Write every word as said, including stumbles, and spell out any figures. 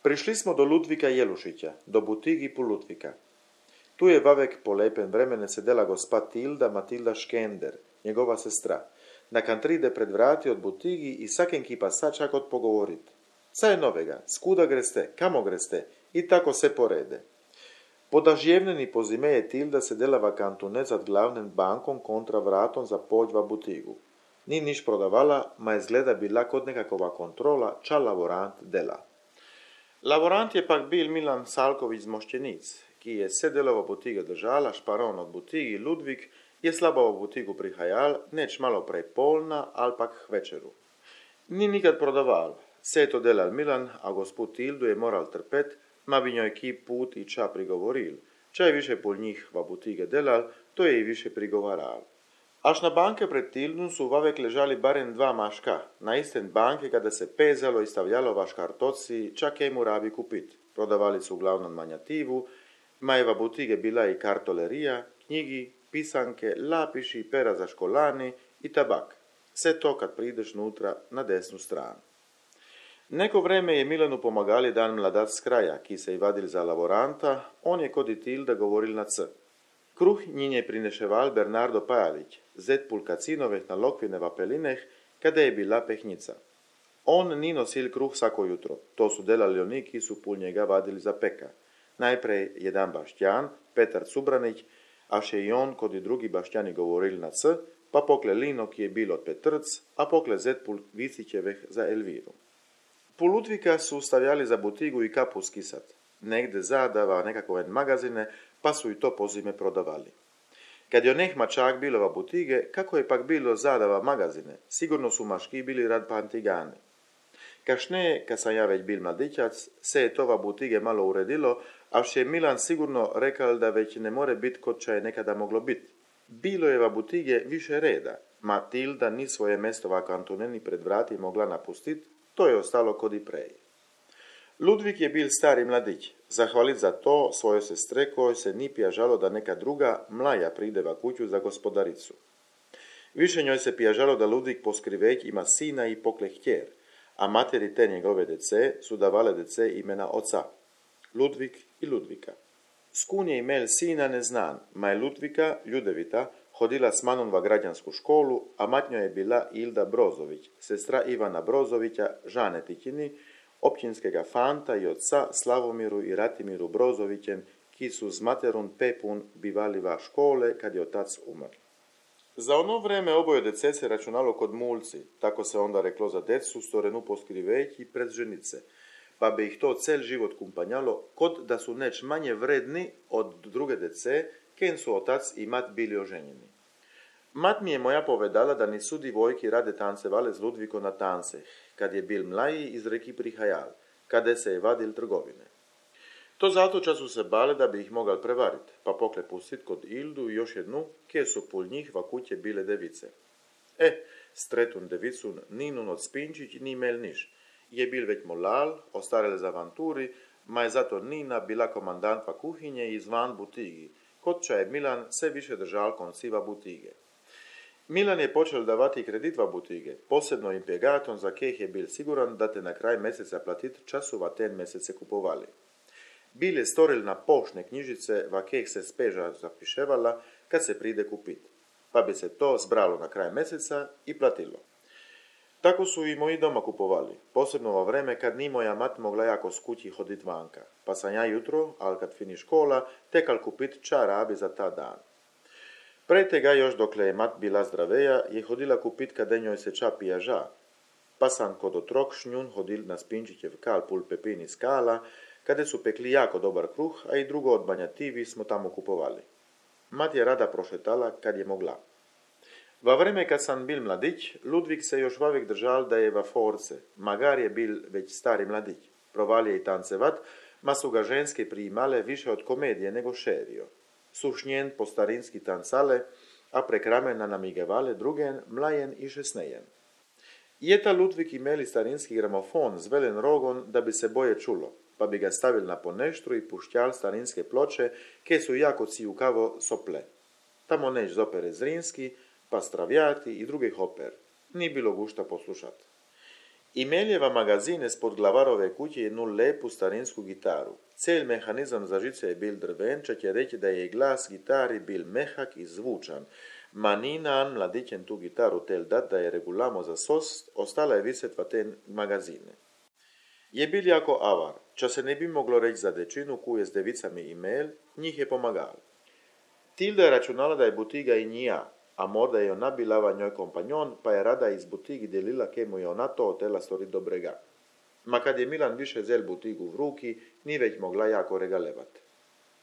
Prišli smo do Ludvika Jelušića, do butigi pu Ludvika. Tu je vavek po lepem vremene sedela gospa Tilda Matilda Škender, njegova sestra. Na kantride pred vrati od butigi i saken kipa sačak od pogovorit. Ca je novega, skuda greste, kamo greste, i tako se porede. Podažjevneni pozime je Tilda sedela v kantunet zad glavnem bankom kontra vratom za pođ v butigu. Ni niš prodavala, ma izgleda bila kot nekakova kontrola, ča laborant dela. Laborant je pak bil Milan Salković z Mošćenic, ki je sedela v butigi držala, šparon od butigi Ludvik je slabo v butigu prihajal, neč malo prej polna, ali pak k večeru. Ni nikad prodaval, se je to delal Milan, a gospod Tildu je moral trpet, ma bi njoj ki put i ča prigovoril. Ča je više pol njih v butige delal, to je i više prigovaral. Až na banke pred Tildom su vavek ležali barem dva maška, na isten banke kada se pezalo i stavljalo vaš kartoci, čak je mu rabi kupit. Prodavali su uglavnom manjativu, ma je v butige bila i kartolerija, knjigi, pisanke, lapiši, pera za školani i tabak. Sve to kad prideš nutra na desnu stranu. Neko vreme je Milanu pomagali dan mladac s kraja, ki se i vadil za laboranta, on je kod i Tilda govoril na c. Kruh njin je prineševal Bernardo Pajalić, zet pulkacinoveh na lokvine vapelineh, kada je bila pehnica. On ni nosil kruh svako jutro, to su delali oni ki su pul njega vadili za peka. Najprej jedan baštjan, Petar Cubranić, a še i on kod i drugi baštjani govorili na c, pa pokle Lino ki je bil od Petrc, a pokle zet pul Vicićeveh za Elviru. Pul Ludvika su stavljali za butigu i kapu skisat. Negde zadava nekakove magazine, pa su i to pozime prodavali. Kad je oneh mačak bilo v butige, kako je pak bilo zadava magazine, sigurno su maški bili rad pantigani. Kašne, kad sam ja već bil mladićac, se je to v butige malo uredilo, a vše je Milan sigurno rekal da već ne more bit kod ča je nekada moglo bit. Bilo je v butige više reda, ma Tilda ni svoje mesto v kantuneni pred vrati mogla napustit, to je ostalo kod i prej. Ludvik je bil stari mladić, zahvalit za to svoje sestre kojoj se ni pjažalo da neka druga, mlaja pride v kuću za gospodaricu. Više njoj se pjažalo da Ludvik poskriveć ima sina i pokle htjer, a materi te njegove dece su davale dece imena oca, Ludvik i Ludvika. Skun je imel sina neznan, ma je Ludvika, Ljudevita, hodila s manom v građansku školu, a matnjo je bila Ilda Brozović, sestra Ivana Brozovića, žane Tikini, općinskega fanta i otca Slavomiru i Ratimiru Brozovićem, ki su z materun Pepun bivali va škole kad je otac umr. Za ono vreme oboje dece se računalo kod mulci, tako se onda reklo za decu storenu poskriveć i pred ženice, pa bi ih to cel život kumpanjalo, kod da su neč manje vredni od druge dece, ken su otac i mat bili oženjeni. Mat mi je moja povedala da nisu divojki rade tancevale z Ludviko na tance, kad je bil mlaji iz reki prihajal, kade se je vadil trgovine. To zato ča su se bale da bi ih mogal prevarit, pa pokle pustit kod Ildu i još jednu, kje su pul njih va kuće bile device. E, stretun devicun ninun od Spinčić ni imel niš, je bil već molal, ostarel za avanturi, ma je zato Nina bila komandant va kuhinje i zvan butigi, kod ča je Milan sve više držal konciva butige. Milan je počel davati kredit va butige, posebno impjegatom za keh je bil siguran da te na kraj meseca platit času va ten mesece kupovali. Bil je storil na poštne knjižice va keh se speža zapiševala kad se pride kupit, pa bi se to zbralo na kraj meseca i platilo. Tako su i moji doma kupovali, posebno va vreme kad ni moja mat mogla jako s kući hodit vanka, pa sam ja jutro, al kad fini škola, tekal kupit ča rabi za ta dan. Pre tega još dokle je mat bila zdraveja, je hodila kupit kade njoj se ča pijaža, pa sam kod otrok šnjun hodil na Spinčićev kal pul Pepini skala, kade su pekli jako dobar kruh, a i drugo od banjativi smo tamo kupovali. Mat je rada prošetala kad je mogla. Va vreme kad sam bil mladić, Ludvik se još vavek držal da je va force, magar je bil već stari mladić. Provalije i tancevat, ma su ga ženske priimale više od komedije nego šerio. Sušnjen po starinski tancale, a prek ramena namigevale drugen, mlajen i šesnejen. Jeta Ludvik imeli starinski gramofon z velen rogon da bi se boje čulo, pa bi ga stavil na poneštru i pušćal starinske ploče, ke su jako cijukavo sople. Tamo neć zopere Zrinski, pa Stravjati i drugih oper. Ni bilo gušta poslušat. Imeljeva magazine spod glavarove kuće jednu lepu starinsku gitaru. Cel mehanizam za žice je bil drven, če će reći da je glas gitari bil mehak i zvučan. Ma Ninan mladićen tu gitaru tel dat da je regulamo za sost, ostala je viset va te magazine. Je bil jako avar, če se ne bi moglo reći za dečinu kuje s devicami Imel, njih je pomagal. Tilda je računala da je butiga i njija, a morda je ona bilava njoj kompanjon, pa je rada iz butigi delila ke mu je ona to hotela storiti dobrega. Ma kad je Milan više zel butigu v ruki, ni već mogla jako regalevat.